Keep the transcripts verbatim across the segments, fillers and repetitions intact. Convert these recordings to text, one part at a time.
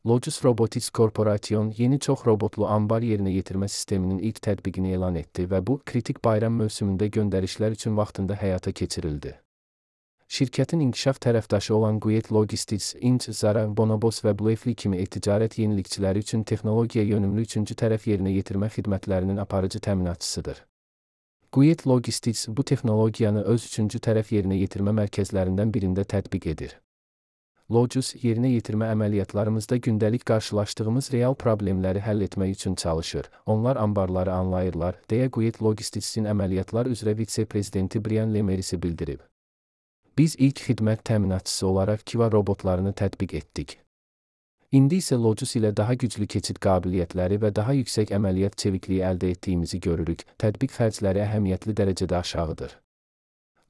Logis Robotics Corporation yeni çox robotlu anbar yerinə yetirmə sisteminin ilk tətbiqini elan etdi və bu, kritik bayram mövsümündə göndərişlər üçün vaxtında həyata keçirildi. Şirkətin inkişaf tərəfdaşı olan Guyet Logistics, Inc, Zara, Bonobos və Bluefly kimi e-ticarət yenilikçiləri üçün texnologiya yönümlü üçüncü tərəf yerinə yetirmə xidmətlərinin aparıcı təminatçısıdır. Guyet Logistics bu texnologiyanı öz üçüncü tərəf yerinə yetirmə mərkəzlərindən birində tətbiq edir. Logis, yerinə yetirmə əməliyyatlarımızda gündəlik qarşılaşdığımız real problemləri həll etmək üçün çalışır. Onlar anbarları anlayırlar, deyə Guyet Logistics'in əməliyyatlar üzrə vitse-prezidenti Brian Lemerisi bildirib. Biz ilk xidmət təminatçısı olaraq Kiva robotlarını tətbiq etdik. İndi isə Logis ilə daha güclü keçid qabiliyyətləri və daha yüksək əməliyyat çevikliyi əldə etdiyimizi görürük. Tətbiq xərcləri əhəmiyyətli dərəcədə aşağıdır.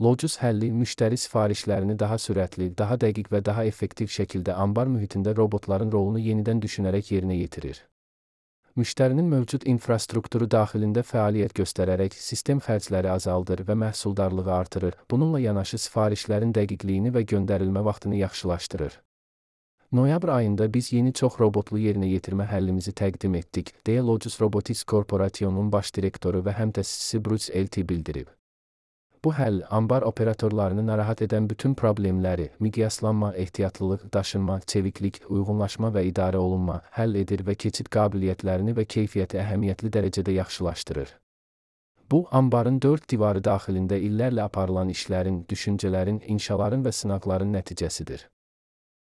Logis həlli, müştəri sifarişlərini daha sürətli, daha dəqiq və daha effektiv şəkildə anbar mühitində robotların rolunu yenidən düşünərək yerinə yetirir. Müştərinin mövcud infrastrukturu daxilində fəaliyyət göstərərək sistem xərcləri azaldır və məhsuldarlığı artırır. Bununla yanaşı sifarişlərin dəqiqliyini və göndərilmə vaxtını yaxşılaşdırır. Noyabr ayında biz yeni çox robotlu yerinə yetirmə həllimizi təqdim etdik, deyə Logis Robotics Corporation'un baş direktoru və həmtəsisi Bruce Elty bildirib. Bu həll, anbar operatorlarını narahat edən bütün problemləri, miqyaslanma, ehtiyatlılıq, daşınma, çeviklik, uyğunlaşma və idarə olunma, həll edir və keçid qabiliyyətlərini və keyfiyyəti əhəmiyyətli dərəcədə yaxşılaşdırır. Bu, anbarın dörd divarı daxilində illərlə aparılan işlərin, düşüncələrin, inşaların və sınaqların nəticəsidir.